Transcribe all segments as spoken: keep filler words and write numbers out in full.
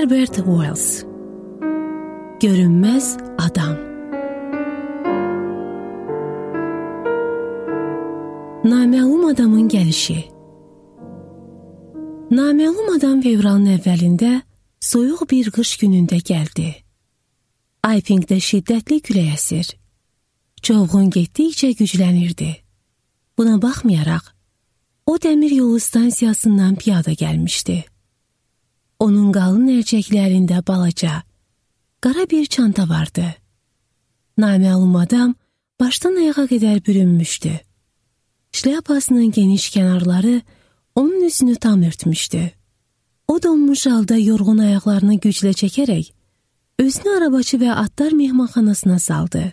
Herbert Wells. Görünməz adam. Naməlum adamın gəlişi. Naməlum adam fevralın əvvəlində soyuq bir qış günündə gəldi. Aypingdə şiddətli külək əsir. Çovğun getdikcə güclənirdi. Buna baxmayaraq, o dəmir yolu stansiyasından piyada gəlmişdi. Onun qalın ərcəklərində balaca, qara bir çanta vardı. Naməlum adam başdan ayağa qədər bürünmüşdü. Şlyapasının geniş kənarları onun üzünü tam örtmüşdü. O donmuş halda yorğun ayaqlarını güclə çəkərək, özünü arabaçı və atlar mehmanxanasına saldı.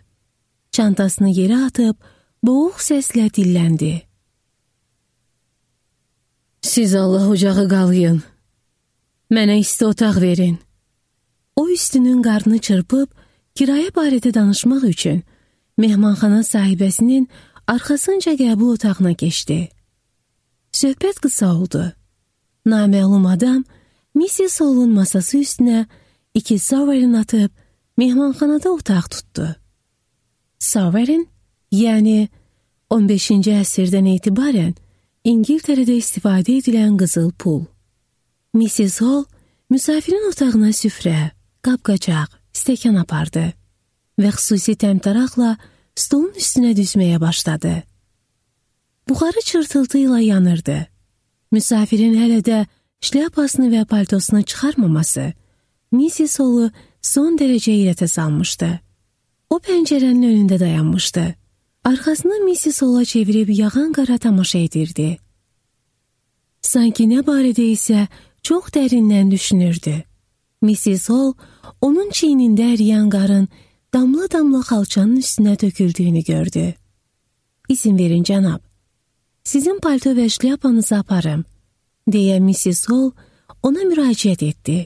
Çantasını yerə atıb, boğuq səslə dilləndi. Siz Allah ocağı qalıyın. Mənə isti otaq verin. O üstünün qarnını çırpıb, kirayə barədə danışmaq üçün mehmanxana sahibəsinin arxasınca qəbul otağına keçdi. Söhbət qısa oldu. Naməlum adam missis Hall'un masası üstünə iki sovereign atıb mehmanxanada otaq tutdu. Sovereign, yəni on beşinci əsrdən etibarən İngiltərədə istifadə edilən qızıl pul. missis Hall müsafirin otağına süfrə, qab-qacaq, stəkan apardı və xüsusi təmtəraqla stolun üstünə düzməyə başladı. Buxarı çırtıltı ilə yanırdı. Müsafirin hələ də şlyapasını və paltosunu çıxarmaması missis Hall'u son dərəcə heyrətə salmışdı. O pəncərənin önündə dayanmışdı. Arxasını missis Hall'a çevirib yağan qara tamaşa edirdi. Sanki nə barədə isə çox dərindən düşünürdü. missis Hall onun çiynində əriyən qarın damla-damla xalçanın üstünə töküldüyünü gördü. İzin verin cənab, sizin palto və şlyapanızı aparım, deyə missis Hall ona müraciət etdi.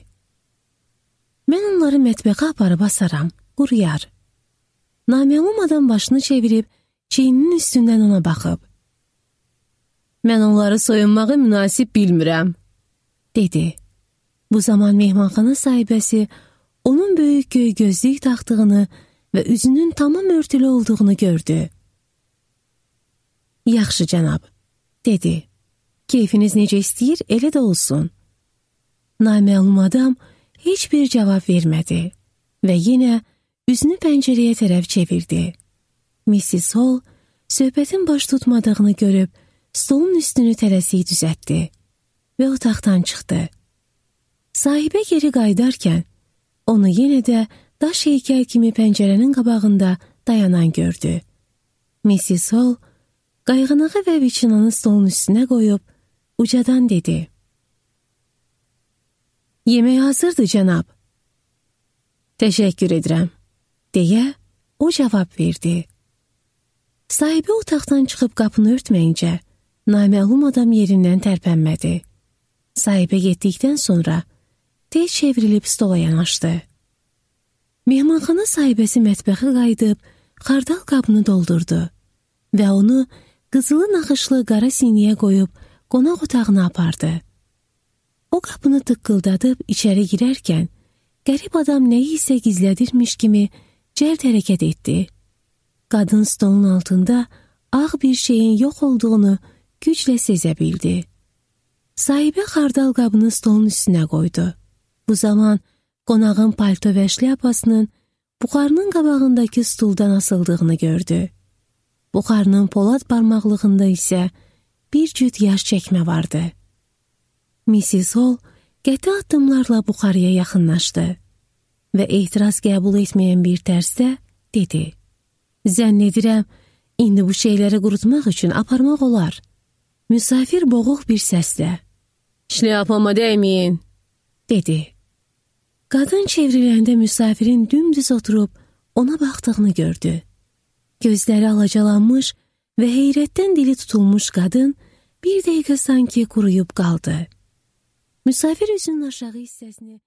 Mən onları mətbəxə aparıb asaram, quruyar. Naməlum adam başını çevirib, çiyninin üstündən ona baxıb. Mən onları soyunmağı münasib bilmirəm, dedi. Bu zaman mehmanxana sahibəsi onun böyük göy gözlük taxtığını və üzünün tamam örtülü olduğunu gördü. Yaxşı cənab, dedi. Keyfiniz necə istəyir, elə də olsun. Naməlum adam heç bir cavab vermədi və yenə üzünü pəncərəyə tərəf çevirdi. missis Hall söhbətin baş tutmadığını görüb stolun üstünü tələsik düzəltdi və otaqdan çıxdı. Sahibə geri qayıdarkən onu yenə də daş heykəl kimi pəncərənin qabağında dayanan gördü. missis Hall qayğanağı və viçinanı stolun üstünə qoyub ucadan dedi. Yemək hazırdır cənab. Təşəkkür edirəm, deyə o cavab verdi. Sahibə otaqdan çıxıb qapını örtməyincə, naməlum adam yerindən tərpənmədi. Sahibə getdikdən sonra tez çevrilib stola yanaşdı. Mehmanxana sahibəsi mətbəxə qayıdıb xardal qabını doldurdu və onu qızılı naxışlı qara siniyə qoyub qonaq otağına apardı. O qapını tıqqıldadıb içəri girərkən, qərib adam nəyi isə gizlədirmiş kimi cəld hərəkət etdi. Qadın stolun altında ağ bir şeyin yox olduğunu güclə sezə bildi. Sahibə xardal qabını stolun üstünə qoydu. Bu zaman qonağın palto və şlyapasının buxarının qabağındakı stuldan asıldığını gördü. Buxarının polad barmaqlığında isə bir cüt yaş çəkmə vardı. missis Hall qəti addımlarla buxarıya yaxınlaşdı və etiraz qəbul etməyən bir tərzdə dedi. Zənn edirəm, indi bu şeyləri qurutmaq üçün aparmaq olar. Müsafir boğuq bir səslə. Şlyapama dəyməyin, dedi. Qadın çevriləndə müsafirin dümdüz oturub ona baxdığını gördü. Gözləri alacalanmış və heyrətdən dili tutulmuş qadın bir dəqiqə sanki quruyub qaldı. Müsafir üzünün aşağı hissəsini